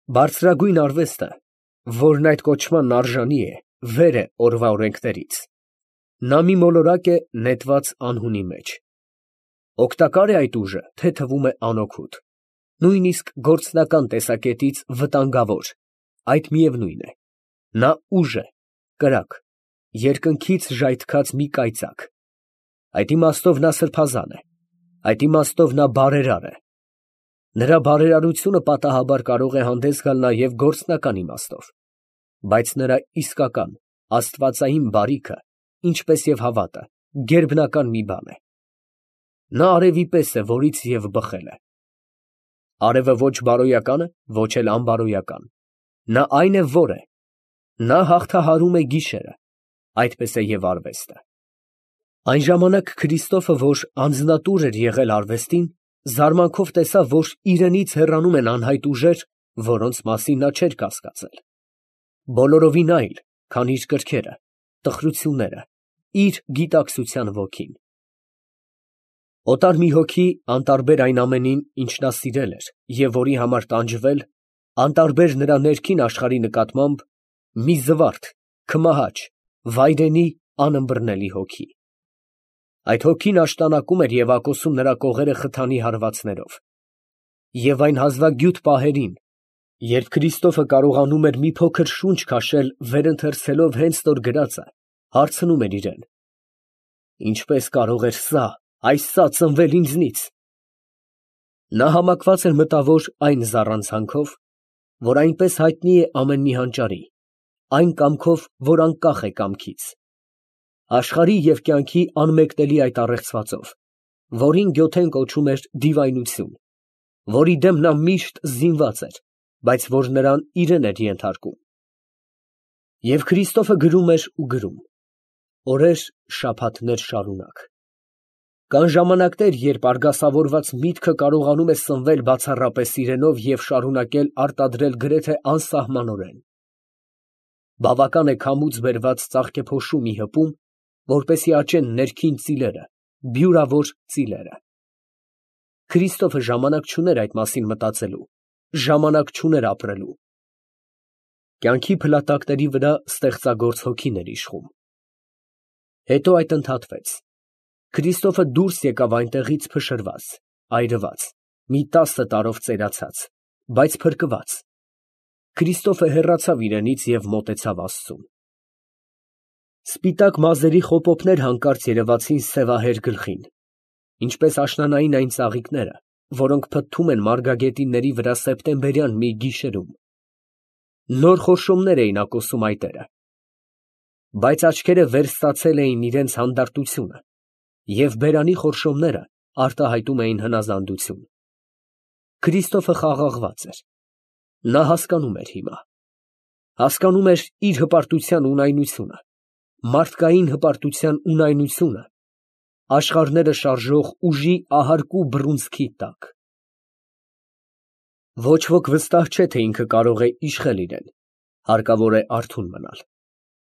Բարձրագույն արվեստը, որն այդ կոչմանն արժանի է, վեր է օրվա օրենքներից. նա մի մոլորակ է նետված անհունի մեջ։ Օգտակար է այդ ուժը, թե թվում է անօգուտ, նույնիսկ գործնական տեսակետից վտանգավոր, այդ միևնույն է, նա ուժ է, կրակ, երկնքից ժայթքած մի կայծակ, այդ իմաստով նա սրբազան է, այդ իմաստով նա բարերար է, նրա բարերարությունը պատահաբար կարող է հանդես գալ նաև գործնական իմաստով, բայց նրա իսկական աստվածային բարիքը, ինչպես և հավատը, գերբնական մի բան է։ Նա արևի պես է, որից և բխել է։ Արևը ոչ բարոյական է, ոչ էլ անբարոյական, նա այն է, որ է, նա հաղթահարում է գիշերը, այդպես է և արվեստը։ Այն ժամանակ Քրիստոֆը, որ անձնատուր էր եղել արվեստին, զարմանքով տեսավ, որ իրենից հեռանում են անհայտ ուժեր, որոնց մասին նա չէր կասկածել, բոլորովին այլ, քան իր կրքերը, տխրությունները, իր գիտակցության ոգին։ Օտար մի հոգի, անտարբեր այն ամենին, ինչ նա սիրել էր և որի համար տանջվել, անտարբեր նրա ներքին աշխարհի նկատմամբ, մի զվարթ, քմահաճ, վայրենի, անըմբռնելի հոգի։ Այդ հոգին աշտանակում էր և ակոսում նրա կողերը խթանի հարվածներով։ Եվ այն հազվագյուտ պահերին, երբ Քրիստոֆը կարողանում էր մի փոքր շունչ քաշել վերընթերցելով հենց նոր գրածը, հարցնում էր իրան. «Ինչպե՞ս կարող էր սա ծնվել ինձնից»։ Նա համակված էր մտավոր այն զառանցանքով, որ այնպես հայտնի է ամեն մի հանճարի, այն կամքով, որ անկախ է կամքից, աշխարհի և կյանքի անմեկնելի այդ առեղծվածով, որին գոթեն կոչում էր դիվայնություն, որի դեմ նա միշտ զինված էր, բայց որ նրան իրեն էր ենթարկում։ Եվ Քրիստոֆը գրում էր ու գրում, օրեր, շաբաթներ շարունակ։ Կան ժամանակներ, երբ արգասավորված միտքը կարողանում է սնվել բացառապես իրենով և շարունակել արտադրել գրեթե անսահմանորեն։ Բավական է քամուց բերված ծաղկեփոշու մի հպում, որպեսզի աճեն ներքին ծիլերը, բյուրավոր ծիլերը։ Քրիստոֆը ժամանակ չուներ այդ մասին մտածելու, ժամանակ չուներ ապրելու։ Կյանքի փլատակների վրա ստեղծագործ հոգին էր իշխում։ Հետո այդ ընդհատվեց։ Քրիստոֆը դուրս եկավ այնտեղից փշրված, այրված, մի 10 տարով ծերացած, բայց փրկված։ Քրիստոֆը հեռացավ իրենից և մոտեցավ Աստծուն։ Սպիտակ մազերի խոպոպներ հանկարծ երևացին սևահեր գլխին, ինչպես աշնանային այն ծաղիկները, որոնք փթթում են մարգագետինների վրա սեպտեմբերյան մի գիշերում։ Նոր խորշոմներ էին ակոսում այտերը, բայց աչքերը վերստացել էին իրենց հանդարտությունը, և բերանի խորշոմները արտահայտում էին հնազանդություն։ Քրիստոֆը խաղաղված էր։ Նա հասկանում էր հիմա։ Հասկանում էր իր հպարտության ունայնությունը, մարդկային հպարտության ունայնությունը, աշխարհները շարժող ուժի ահարկու բռունցքի տակ։ Ոչ ոք վստահ չէ, թե ինքը կարող է իշխել իրեն, հարկավոր է արթուն մնալ,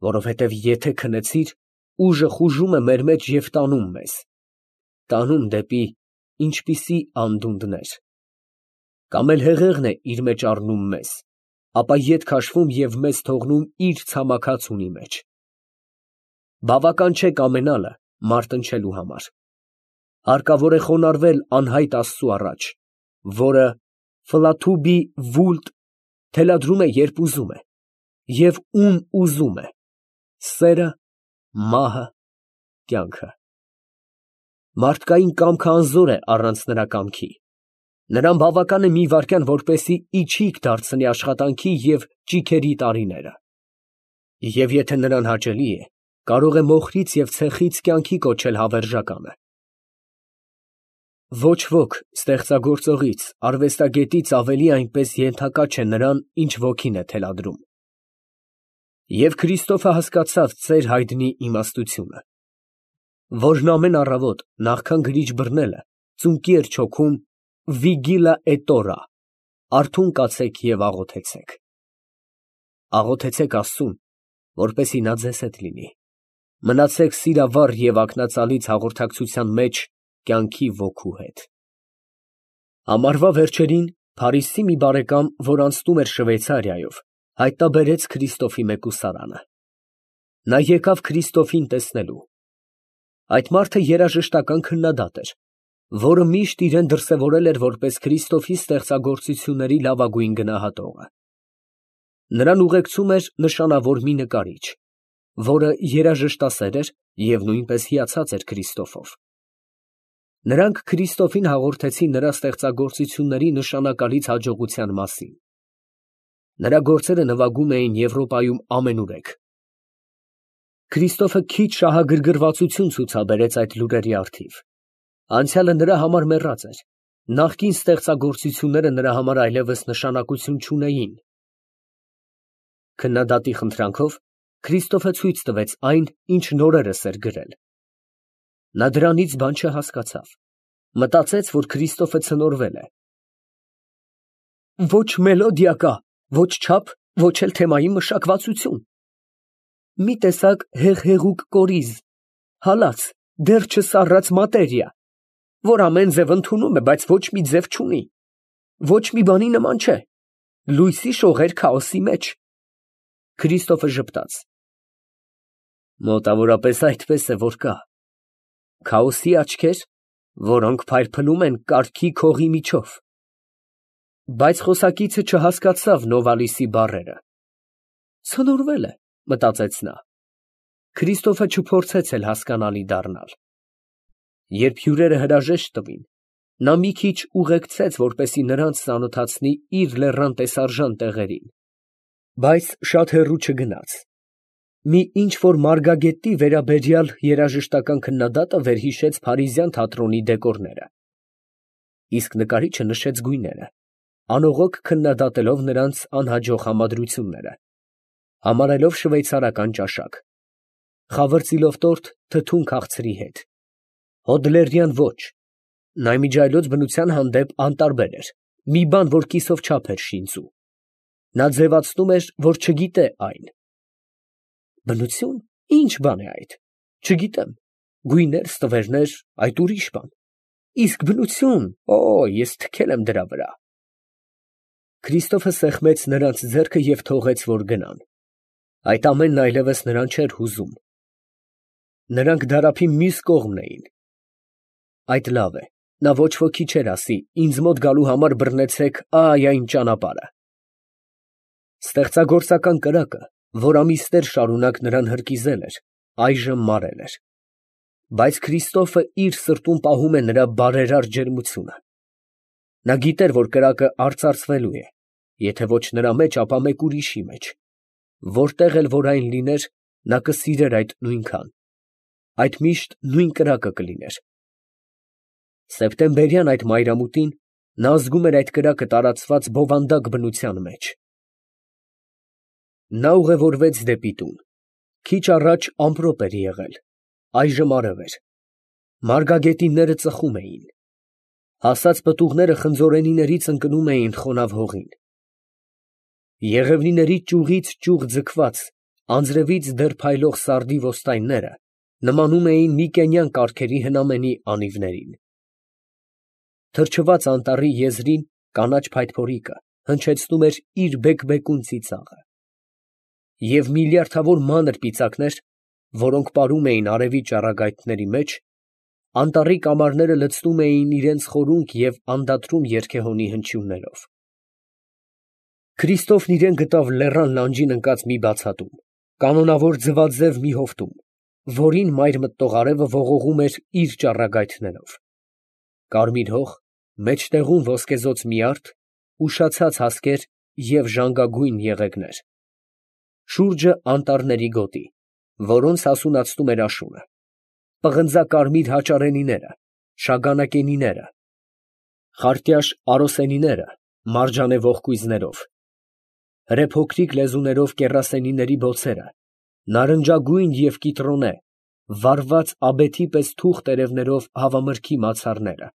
որովհետև եթե քնեցիր, ուժը խուժում է մեր մեջ և տանում մեզ, տանում դեպի ինչպիսի անդունդներ, կամ էլ հեղեղն է իր մեջ առնում մեզ, ապա ետ քաշվում և մեզ թողնում իր ցամաքած ունի մեջ։ Բավական չէ կամենալը մարտնչելու համար, հարկավոր է խոնարհվել անհայտ Աստծու առաջ, որը ֆլաթուբի վուլտ թելադրում է, երբ ուզում է, և ում ուզում է, սերը, մահը, կյանքը։ Մարդկային կամքը անզոր է առանց նրա կամքի, նրան բավական է մի վայրկյան, որպեսզի իջիկ դարձնի աշխատանքի և ճիգերի տարիները, և եթե նրան հաճելի է, կարող է մոխրից և ցեխից կյանքի կոչել հավերժականը։ Ոչ ոք ստեղծագործողից, արվեստագետից ավելի այնպես ենթակա չէ նրան, ինչ ոգին է թելադրում։ Եվ Քրիստոֆը հասկացավ ծեր հայտնի իմաստությունը, որն ամեն առավոտ, նախքան գրիչ բռնելը, ծունկի էր չոքում վիգիլա էտորա, արթուն կացեք և աղոթեցեք։ Աղոթեցեք Աստծուն, որպեսզի նա ձեզ հետ լինի, մնացեք սիրավառ և ակնածալից հաղորդակցության մեջ կյանքի ոգու հետ։ Ամառվա վերջերին, Փարիզի մի բարեկամ, որ անցնում էր Շվեյցարիայով, հայտնաբերեց Քրիստոֆի մեկուսարանը։ Նա եկավ Քրիստոֆին տեսնելու։ Այդ մարդը երաժշտական քննադատ էր, որը միշտ իրան դրսևորել էր որպես Քրիստոֆի ստեղծագործությունների լավագույն գնահատողը։ Նրան ուղեկցում էր նշանավոր մի նկարիչ, որը երաժշտասեր էր և նույնպես հիացած էր Քրիստոֆով։ Նրանք Քրիստոֆին հաղորդեցին նրա ստեղծագործությունների նշանակալից հաջողության մասին։ Նրա գործերը նվագում էին Եվրոպայում ամենուրեք։ Քրիստոֆը քիչ շահագրգռվածություն ցուցաբերեց այդ լուրերի առթիվ։ Անցյալը նրա համար մեռած էր, նախկին ստեղծագործությունները նրա համար այլևս նշանակություն չունեին։ Քննադատի խնդրանքով Քրիստոֆը ցույց տվեց այն, ինչ նորերս էր գրել։ Նա դրանից բան չհասկացավ, մտածեց, որ Քրիստոֆը ցնորվել է։ Ոչ մելոդիա կա, ոչ չափ, ոչ էլ թեմայի մշակվածություն։ Մի տեսակ հեղհեղուկ կորիզ, հալած, դեռ չսառած մատերիա, որ ամեն ձև ընդունում է, բայց ոչ մի ձև չունի, ոչ մի բանի նման չէ, լույսի շողեր քաոսի մեջ։ Քրիստոֆը ժպտաց։ Մոտավորապես այդպես է, որ կա։ Քաոսի աչքեր, որոնք փայլփլում են կարգի քողի միջով։ Բայց խոսակիցը չհասկացավ Նովալիսի բառերը։ Ցնորվել է, մտածեց նա։ Քրիստոֆը չփորձեց էլ հասկանալի դառնալ։ Երբ հյուրերը հրաժեշտ տվին, նա մի քիչ ուղեկցեց, որպեսզի նրանց ծանոթացնի իր լեռան տեսարժան տեղերին, բայց շատ հեռու չգնաց։ Մի ինչ-որ մարգագետի վերաբերյալ երաժշտական քննադատը վերհիշեց փարիզյան թատրոնի դեկորները։ Իսկ նկարիչը նշեց գույները, անողոք քննադատելով նրանց անհաջող համադրությունները, համարելով շվեյցարական ճաշակ, խավրծիլով տորտ թթուն քաղցրի հետ, հոդլերյան ոչ, նայմիջայլոց բնության հանդեպ անտարբեր էր, մի բան, որ կիսով չափ էր շինծու։ Նա ձևացնում էր, որ չգիտե այն։ Բնություն, ի՞նչ բան է այդ, չգիտեմ, գույներ, ստվերներ, այդ ուրիշ բան, իսկ բնություն, ես թքել եմ դրա վրա։ Քրիստոֆը սեղմեց նրանց ձեռքը և թողեց, որ գնան։ Այդ ամենն այլևս նրան չէր հուզում։ Նրանք դարափի մյուս կողմն էին։ Այդ լավ է, նա ոչ ոքի չէր ասի, ինձ մոտ գալու համար բռնեցեք այն ճանապարհը։ Ստեղծագործական կրակը, որ ամիսներ շարունակ նրան հրկիզել էր, այժմ մարել էր։ Բայց Քրիստոֆը իր սրտում պահում է նրա բարերար ջերմությունը։ Նա գիտեր, որ կրակը արծարծվելու է, եթե ոչ նրա մեջ, ապա մեկ ուրիշի մեջ, որտեղ էլ որ այն լիներ, նա կսիրեր այդ նույնքան, այդ միշտ նույն կրակը կլիներ։ Սեպտեմբերյան այդ մայրամուտին նա զգում էր այդ կրակը տարածված բովանդակ բնության մեջ։ Նա ուղևորվեց դեպի տուն։ Քիչ առաջ ամպրոպ էր եղել, այժմ արև էր։ Մարգագետինները ծխում էին։ Հասած պտուղները խնձորենիներից ընկնում էին խոնավ հողին։ Եղևնիների ճյուղից ճյուղ ձգված, անձրևից դեռ փայլող սարդի ոստայնները նմանում էին միկենյան կառքերի հնամենի անիվներին։ Թրջված անտառի եզրին կանաչ փայտփորիկը հնչեցնում էր իր բեկբեկուն ծիծաղը։ Եվ միլիարդավոր մանր ծիծաղներ, որոնք պարում էին արևի ճառագայթների մեջ, անտառի կամարները լցնում էին իրենց խորունկ և անդադրում երգեհոնի հնչյուններով։ Քրիստոֆն իրան գտավ լեռան լանջին ընկած մի բացատում, կանոնավոր ձվաձև մի հովտում, որին մայր մտնող արևը ողողում էր իր ճառագայթներով։ Կարմիր հող, մեջտեղում ոսկեզօծ միարդ, ուշացած հասկեր և ժանգագույն եղեգներ։ Շուրջը անտառների գոտի, որոնց հասունացնում էր աշունը, պղնձակարմիր հաճարենիները, շագանակենիները, խարտյաշ արոսենիները մարջանե ողկույզներով, հրեփոքրիկ լեզուներով կեռասենիների բոցերը, նարնջագույն և կիտրոնե, վառված աբեթի պես թուղ տերևներով հավամրգի մացառները,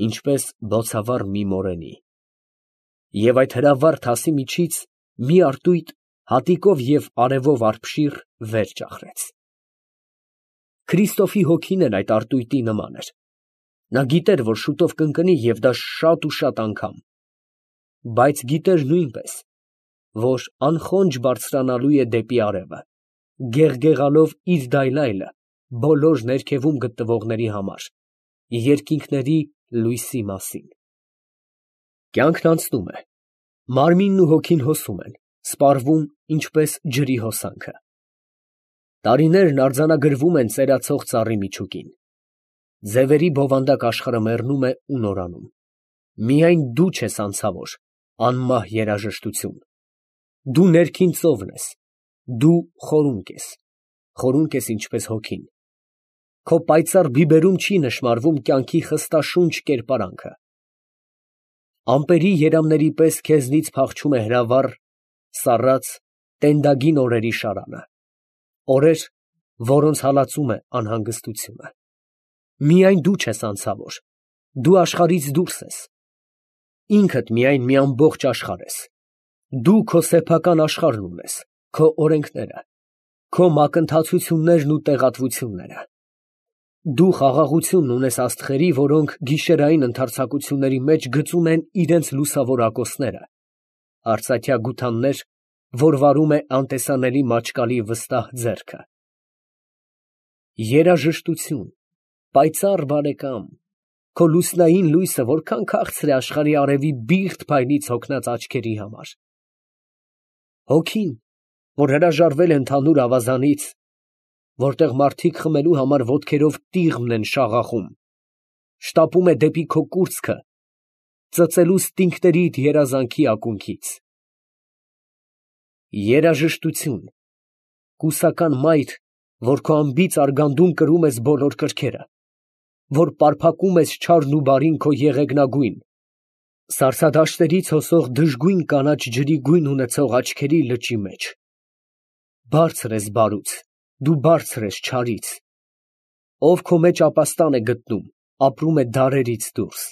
ինչպես բոցավառ մի մորենի։ Եվ այդ հրավառ թասի միջից մի արտույտ հատիկով և արևով արբշիր վեր ճախրեց։ Քրիստոֆի հոգին էլ այդ արտույտի նման էր։ Նա գիտեր, որ շուտով կընկնի և դա շատ ու շատ անգամ, բայց գիտեր նույնպես, որ անխոնջ բարձրանալու է դեպի արևը, գեղգեղալով իր դայլայլը բոլոր ներքևում գտնվողների համար, երկինքների լույսի մասին։ Կյանքն անցնում է, մարմինն ու հոգին հոսում են, սպառվում ինչպես ջրի հոսանքը։ Տարիներն արձանագրվում են ծերացող ծառի միջուկին։ Ձևերի բովանդակ աշխարհը մեռնում է ու նորանում։ Միայն դու չես անցավոր, անմահ երաժշտություն։ Դու ներքին ծովն ես, դու խորունկ ես ինչպես հոգին։ Քո պայծառ բիբերում չի նշմարվում կյանքի խստաշունչ կերպարանքը։ Ամպերի երամների պես քեզնից փախչում է հրավառ, սառած, տենդագին օրերի շարանը, օրեր, որոնց հալածում է անհանգստությունը։ Միայն դու չես անցավոր, դու աշխարհից դուրս ես։ Ինքդ միայն մի ամբողջ աշխարհ ես։ Դու քո սեփական աշխարհն ունես, քո օրենքները, քո մակընթացություններն ու տեղատվությունները։ Դու խաղաղությունն ունես աստղերի, որոնք գիշերային ընդարձակությունների մեջ գծում են իրենց լուսավոր ակոսները, արծաթյա գութաններ, որ վարում է անտեսանելի մաճկալի վստահ ձեռքը։ Երաժշտություն, պայծառ բարեկամ, քո լուսնային լույսը որքան քաղցր է աշխարհի արևի բիղթ փայլից հոգնած աչքերի համար։ Հոգին, որ հրաժարվել է ընդհանուր ավազանից, որտեղ մարդիկ խմելու համար ոտքերով տիղմն են շաղախում, շտապում է դեպի քո կուրծքը, ծծելու ստինգներիդ երազանքի ակունքից։ Երաժշտություն, կուսական մայր, որ քո անբիծ արգանդում կրում ես բոլոր կրքերը, որ պարփակում ես չարն ու բարին քո եղեգնագույն, սարսադաշտերից հոսող դժգույն կանաչ ջրի գույն ունեցող աչքերի լճի մեջ։ Բարձր ես բարուց, դու բարձր ես չարից, ով քո մեջ ապաստան է գտնում, ապրում է դարերից դուրս։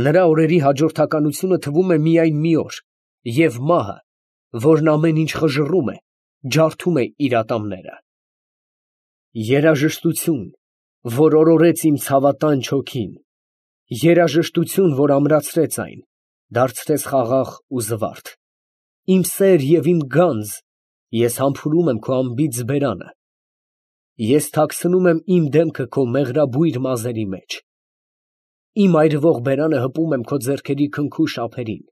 Նրա օրերի հաջորդականությունը թվում է միայն մի օր, և մահը, որն ամեն ինչ խժռում է, ջարդում է իր ատամները։ Երաժշտություն, որ օրորեց իմ ցավատանչ հոգին, երաժշտություն, որ ամրացրեց այն, դարձրեց խաղաղ ու զվարթ։ Իմ սեր և իմ գանձ, ես համբուրում եմ քո անբիծ բերանը, ես թաքցնում եմ իմ դեմքը քո մեղրաբույր մազերի մեջ, իմ այրվող բերանը հպում եմ քո ձեռքերի քնքուշ ափերին։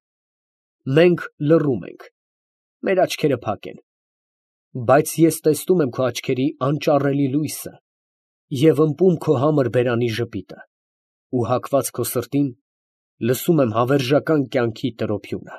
Մենք լռում ենք, մեր աչքերը փակ են, բայց ես տեսնում եմ քո աչքերի անճառելի լույսը և ըմպում քո համր բերանի ժպիտը, ու հակված քո սրտին, լսում եմ հավերժական կյանքի տրոփյունը։